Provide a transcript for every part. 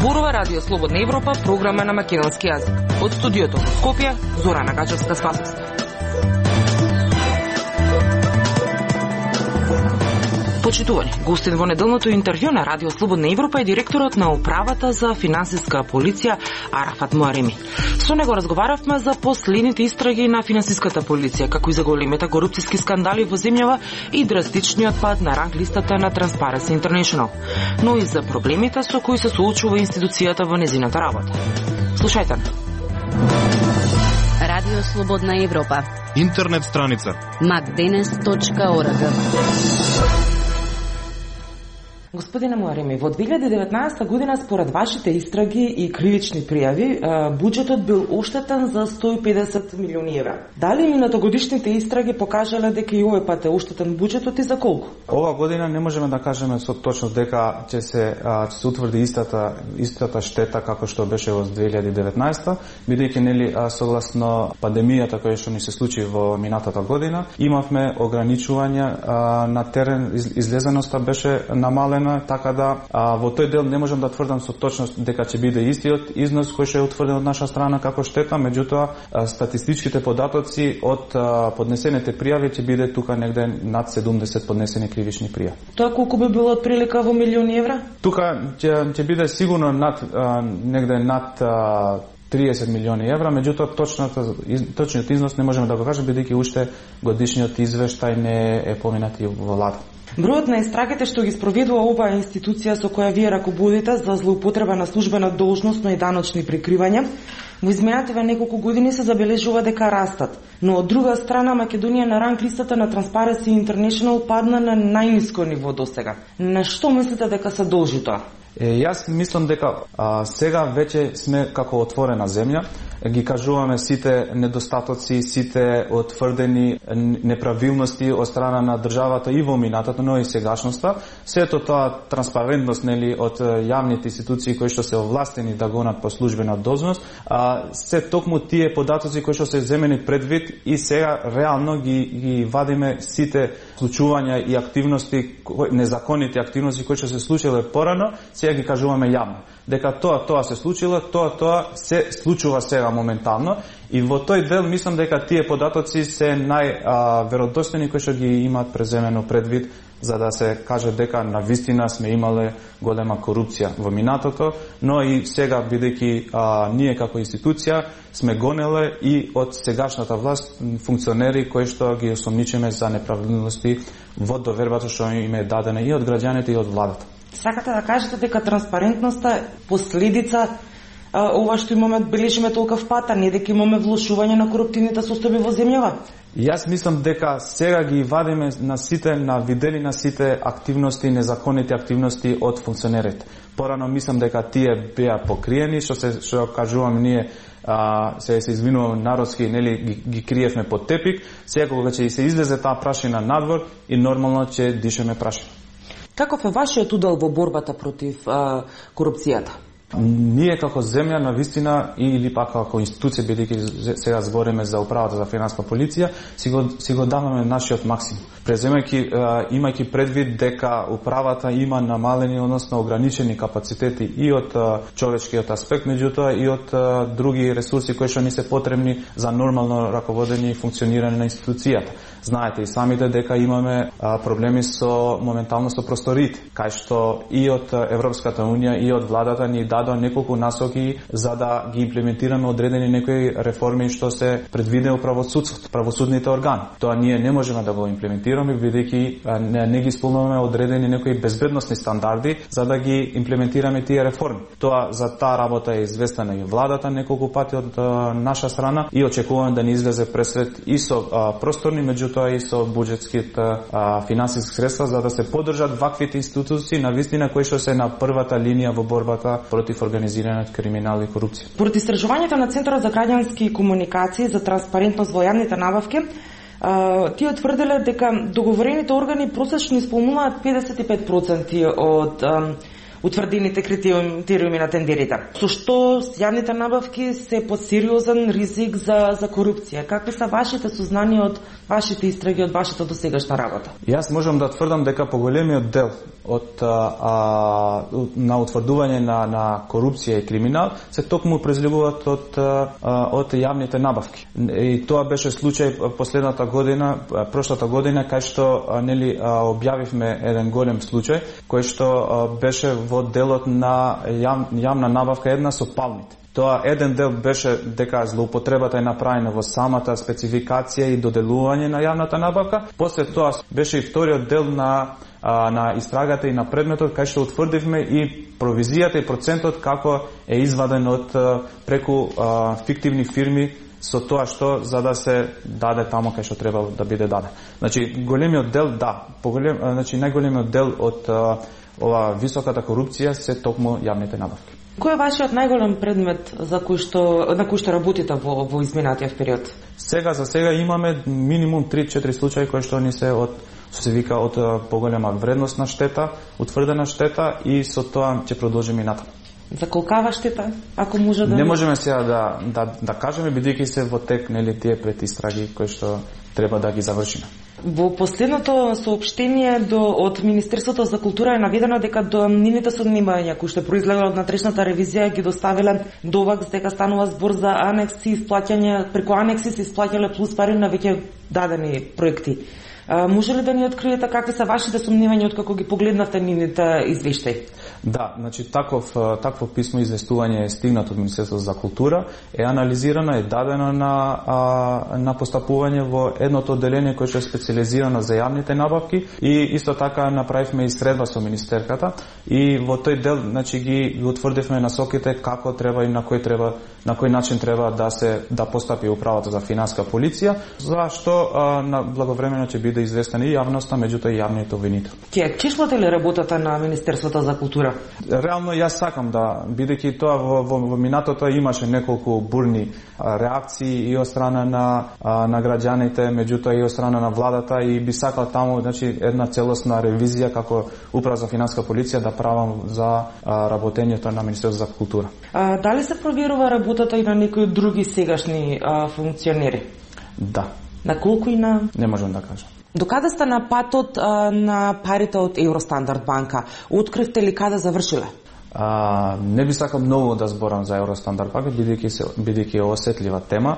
Зборува Радио Слободна Европа, програма на македонски јазик. Од студиото во Скопје, Зорана Гачевска-Спасовска. Почитувани, гостин во неделното интервју на Радио Слободна Европа е директорот на управата за финансиска полиција Арафат Муареми. Со него разговаравме за последните истраги на финансиската полиција, како и за големите корупцијски скандали во земјава и драстичниот пад на ранг листата на Transparency International, но и за проблемите со кои се соочува институцијата во незината работа. Слушајте. Радио Слободна Европа. Интернет страница macdenes.org. Господине Муареми, во 2019 година според вашите истраги и кривични пријави, буџетот бил оштетен за 150 милиони евра. Дали минатогодишните истраги покажале дека и овој пат е оштетен буџетот и за колку? Ова година не можеме да кажеме со точност дека ќе се утврди истата штета како што беше во 2019, бидејќи нели согласно пандемијата која што ни се случи во минатата година, имавме ограничувања на терен, излезеноста беше намалена, така да во тој дел не можам да тврдам со точност дека ќе биде истиот износ кој што е утврден од наша страна како штета, меѓутоа статистичките податоци од поднесените пријави ќе биде тука негде над 70 поднесени кривични пријави. Тоа колку би било отприлика во милиони евра? Тука ќе биде сигурно негде над 30 милиони евра, меѓутоа точниот износ не можеме да го кажеме бидејќи уште годишниот извештај не е поминат и во влада. Бројот на истрагите што ги спроведува оваа институција со која вие раководите за злоупотреба на службена должност, но и даночни прикривања, во изминативе неколку години се забележува дека растат, но од друга страна Македонија на ранг листата на Transparency International падна на најниско ниво досега. На што мислите дека се должи тоа? Јас мислам дека сега веќе сме како отворена земја, ги кажуваме сите недостатоци, сите отврдени неправилности од страна на државата и во минатата, но и сегашноста. Сето тоа транспарентност нели од јавните институции кои што се овластени да гонат по службена должност, се токму тие податоци кои што се земени предвид и сега реално ги вадиме сите случувања и активности, незаконити активности кои што се случиле порано, сега ги кажуваме јавно. Дека тоа се случило, тоа се случува сега моментално и во тој дел мислам дека тие податоци се најверодостојни кои што ги имаат преземено предвид за да се каже дека навистина сме имале голема корупција во минатото, но и сега бидејќи ние како институција сме гонеле и од сегашната власт функционери кои што ги осомничиме за неправилности во довербата што им е дадена и од граѓаните и од владата. Сакате да кажете дека транспарентноста последица ова што имаме бележиме толков пат, а не дека имаме влошување на коруптивните состојби во земјава? Јас мислам дека сега ги вадиме видели на сите активности, незаконити активности од функционерите. Порано мислам дека тие беа покриени, што кажувам ние, се извинувам народски, нели ги криевме под тепик. Сега кога ќе се излезе таа прашина надвор и нормално ќе дишеме прашина. Каков е вашиот удел во борбата против корупцијата? Ние како земја навистина или пак како институција, бидејќи сега збориме за управата за финансиска полиција, си го даваме нашиот максимум. Имајќи предвид дека управата има намалени, односно ограничени капацитети и од човечкиот аспект, меѓутоа и од други ресурси кои што ни се потребни за нормално раководење и функционирање на институцијата. Знаете и самите дека имаме проблеми моментално со просториите, кај што и од Европската унија и од владата ни дадоа неколку насоки за да ги имплементираме одредени некои реформи што се предвидени во правосудните органи. Тоа ние не можеме да го имплементираме бидејќи не ги исполнуваме одредени некои безбедносни стандарди за да ги имплементираме тие реформи. Тоа за таа работа е известена и владата неколку пати од наша страна и очекуваме да ни излезе пресвет и со просторни, меѓутоа и со буџетските финансиски средства за да се поддржат ваквите институции навистина кои што се на првата линија во борбата против организираниот криминал и корупција. Според истражувањето на Центарот за граѓански комуникации за транспарентност во јавните набавки, тие тврделе дека договорените органи просечно исполнуваат 55% утврдените критериуми на тендерите. Со што јавните набавки се под сериозен ризик за корупција. Какви се вашите сознанија од вашите истраги, од вашата досегашна работа? Јас можам да тврдам дека поголемиот дел на утврдување на корупција и криминал се токму произлегуваат од јавните набавки. И тоа беше случај прошлата година, кај што објавивме еден голем случај, кој што беше во делот на јавна набавка една со палмите. Тоа еден дел беше дека злоупотребата е направена во самата спецификација и доделување на јавната набавка. После тоа беше и вториот дел на истрагата и на предметот, кај што утврдивме и провизијата и процентот како е изваден од преку фиктивни фирми со тоа што за да се даде таму кај што треба да биде даден. Значи големиот дел најголемиот дел од ова високата корупција се токму јавните набавки. Кој е вашиот најголем предмет на кој што работите во изминатиот период? За сега имаме минимум 3-4 случаи кои што ни се од поголема вредност на штета, утврдена штета, и со тоа ќе продолжиме и натаму. За колкава штета, ако може да... Не можеме сега да кажеме, бидејќи се во тек тие предистраги кои што треба да ги завршиме. Во последното соопштение од Министерството за култура е наведено дека до нивните сооднесувања кои што произлегло од натрешната ревизија ги доставиле довакс дека станува збор за анекси и исплаќање, преку анекси се исплаќале плюс пари на веќе дадени проекти. Може ли да ни откриете какви се вашите сомневања откако ги погледнавте нивните извештаи? Да, значи такво писмо известување е стигнато од Министерството за култура, е анализирано, е дадено на постапување во едното одделение кое што е специализирано за јавните набавки, и исто така направивме и средба со министерката, и во тој дел значи ги утврдивме насоките како треба и на кој начин треба да постапи управата за финансиска полиција, за што благовремено ќе биде известена и јавноста, меѓутоа и јавните обвинители. Ќе чешвате ли работата на Министерството за култура? Реално јас сакам да, бидејќи тоа во минатото имаше неколку бурни реакции и од страна на граѓаните, меѓутоа и од страна на владата, и би сакал таму значи една целосна ревизија како управа за финансиска полиција да правам за работењето на Министерството за култура. Дали се проверува работата и на некои други сегашни функционери? Да. На колку и на... Не можам да кажам. Докаде сте на патот на парите од Евростандард банка? Откривте ли каде завршиле? Не би сакал многу да зборам за Евростандард банка, бидејќи е осетлива тема.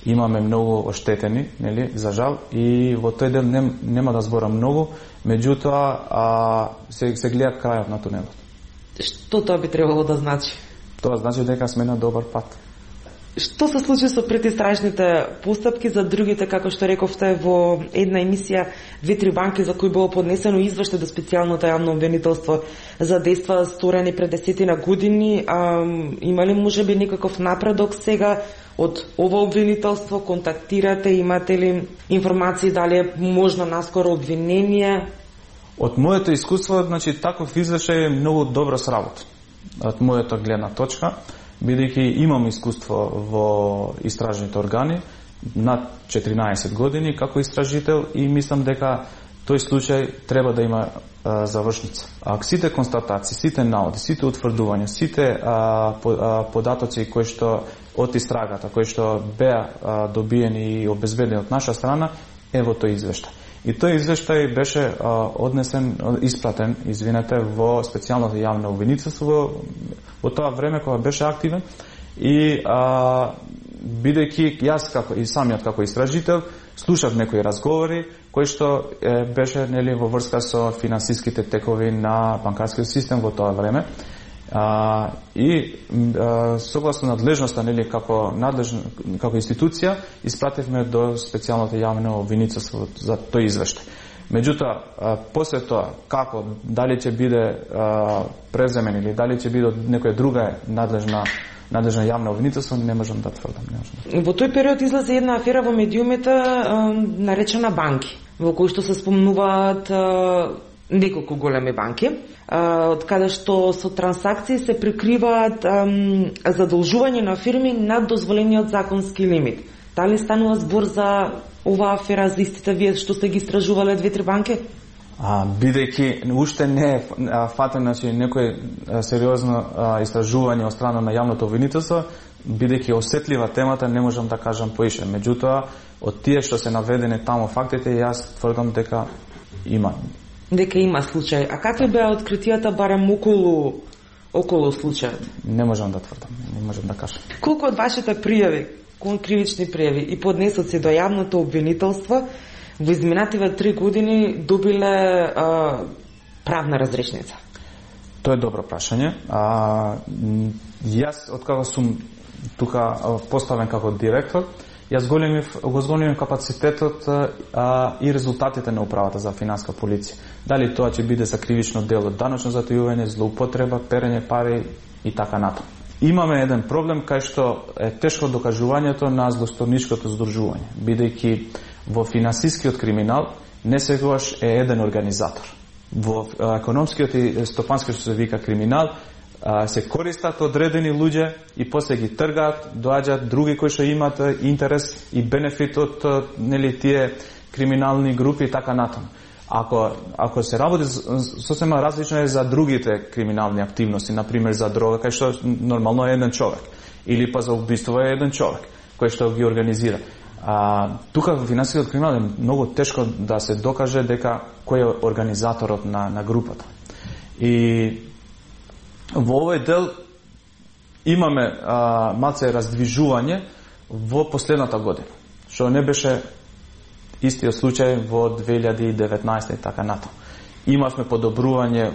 Имаме многу оштетени, за жал, и во тој дел нема да зборам многу, меѓутоа се гледа крајот на тунелот. Што тоа би требало да значи? Тоа значи дека сме на добар пат. Што се случи со предистражните постапки за другите, како што рековте во една емисија, 2-3 банки за кои било поднесено извештај до специјалното јавно обвинителство за дејства сторени пред 10 години? Има ли можеби некаков напредок сега од ова обвинителство? Контактирате, имате ли информации дали е можно наскоро обвинение? Од моето искуство, значи таков извештај е многу добро сработен. Од мојата гледна точка, бидејќи имам искуство во истражните органи над 14 години како истражител, и мислам дека тој случај треба да има завршница. Сите констатации, сите наоди, сите утврдувања, сите податоци кои што од истрагата, кои што беа добиени и обезбедени од наша страна, е во тој извештај. И тој извештај беше испратен во специјалното јавно обвинителство во тоа време кога беше активен, и бидејќи јас и самиот како истражител слушав некои разговори кои што беше во врска со финансиските текови на банкарскиот систем во тоа време, и согласно надлежноста како институција испративме до специјалното јавно обвинителство за тој извештај. Меѓутоа, после тоа, како, дали ќе биде преземен или дали ќе биде од некоја друга надлежна јавна обвинителство, не можам да тврдам. Во тој период излезе една афера во медиумите наречена банки, во кој што се спомнуваат неколку големи банки, од каде што со трансакции се прикриваат задолжување на фирми над дозволениот законски лимит. Дали станува збор за оваа афера, за истите вие што сте ги истражувале 2-3 банки? Бидејќи уште не е фатен некој сериозно истражување од страна на јавното обвинителство, бидејќи осетлива темата, не можам да кажам поише. Меѓутоа, од тие што се наведени таму фактите, јас тврдам дека има. Дека има случај. А какви беа откритијата барем околу случајот? Не можам да тврдам, не можам да кажам. Колку од вашите пријави, кривични пријави и поднесоци до јавното обвинителство во изминативе 3 години добиле правна разрешница? Тоа е добро прашање. Јас, откако сум тука поставен како директор, јас го зголемив капацитетот и резултатите на управата за финанска полиција. Дали тоа ќе биде за кривично дело, даночно затојување, злоупотреба, перење пари и така натаму. Имаме еден проблем кај што е тешко докажувањето на злосторничкото здружување, бидејќи во финансискиот криминал не секогаш е еден организатор. Во економскиот и стопанскиот што се вика криминал се користат одредени луѓе и после ги тргаат, доаѓаат други кои што имаат интерес и бенефит од тие криминални групи и така натаму. Ако се работи сосема различно е за другите криминални активности, например за дрога, кај што нормално е еден човек, или па за убиство е еден човек кој што ги организира. Тука во финансискиот криминал е многу тешко да се докаже дека кој е организаторот на групата. И во овој дел имаме малце раздвижување во последната година, што не беше истиот случај во 2019 и така натаму. Имавме подобрување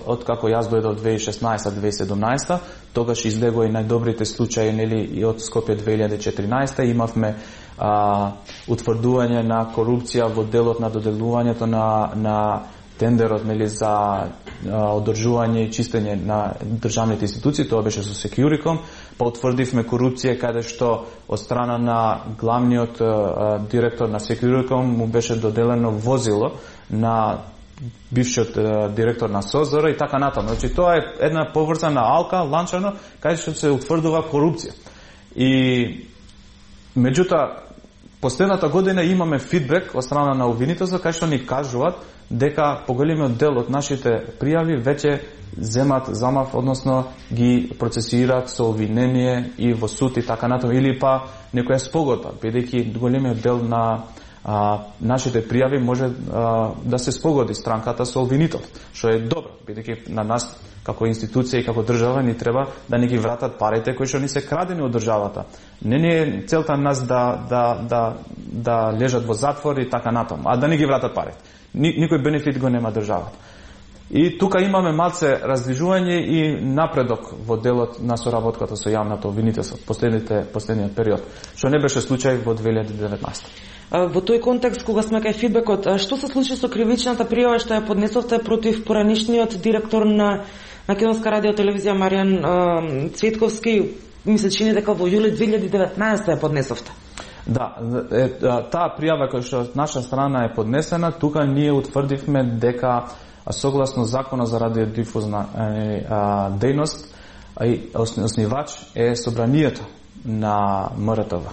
откако јас дојдов 2016-2017, тогаш излегоа и најдобрите случаи и од Скопје 2014, имавме утврдување на корупција во делот на доделувањето на тендерот за одржување и чистење на државните институции, тоа беше со Securicom, па утврдивме корупција каде што од страна на главниот директор на Securicom му беше доделено возило на бившиот директор на СОЗР и така натаму. Значи тоа е една поврзана алка, ланчано, каде што се утврдува корупција. И меѓутоа последната година имаме фидбек од страна на обвинителство кај што ни кажуваат дека поголемиот дел од нашите пријави веќе замав, односно ги процесираат со обвинение и во суд и така натаму, или па некоја спогодба, бидејќи големиот дел на нашите пријави може да се спогоди странката со обвинител, што е добро, бидејќи на нас како институција и како држава ни треба да ни ги вратат парите кои што ни се крадени од државата. Не е целта нас да лежат во затвор и така натаму, а да ни ги вратат парите. Никој бенефит го нема државата. И тука имаме малце раздвижување и напредок во делот на соработката со јавното обвинителство последниот период, што не беше случај во 2019. Во тој контекст, кога сме кај фидбекот, што се случи со кривичната пријава што ја поднесовте против поранишниот директор на Македонска радиотелевизија Маријан Цветковски, ми се чини дека во јули 2019 ја поднесовте? Да, таа пријава која што од наша страна е поднесена, тука ние утврдивме дека согласно Законот за радиодифузна дејност, основач е собранието на МРТВ.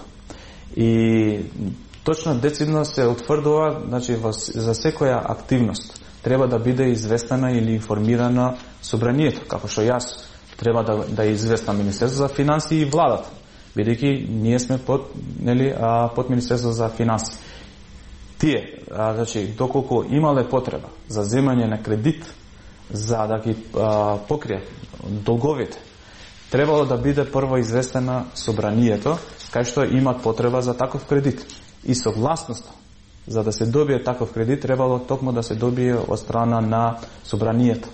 И точно децидно се утврдува, значи за секоја активност треба да биде известена или информирана собранието, како што јас треба да известам Министерството за финансии и владата, бидејќи ние сме под Министерството за финансии. Тие, значи, доколку имале потреба за земање на кредит, за да ги покријат долговите, требало да биде прво известена собранието, кај што имат потреба за таков кредит. И согласноста за да се добие таков кредит требало токму да се добие од страна на собранието,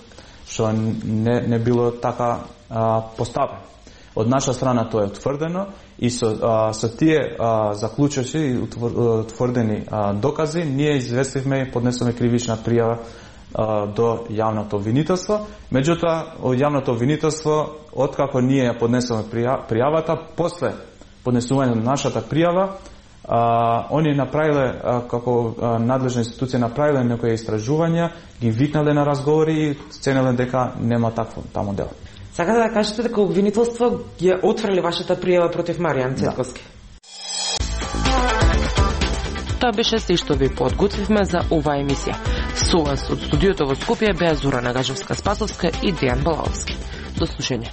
што не било така поставено. Од наша страна тоа е утврдено и со тие заклучоци и утврдени докази ние известивме и поднесоме кривична пријава до јавното обвинителство. Меѓутоа, од јавното обвинителство, откако ние ја поднесоме пријавата, после поднесување на нашата пријава, они направиле, како надлежна институција направиле некои истражувања, ги викнале на разговори и сценеле дека нема такво таму дело. Сакате да кажете дека обвинителство ја отфрли вашата пријава против Маријан Цветковски? Да. Тоа беше се што ви подготвивме за оваа емисија. Со вас од студиото во Скопје беа Зора Нагажевска-Спасовска и Дејан Балаовски. До слушање.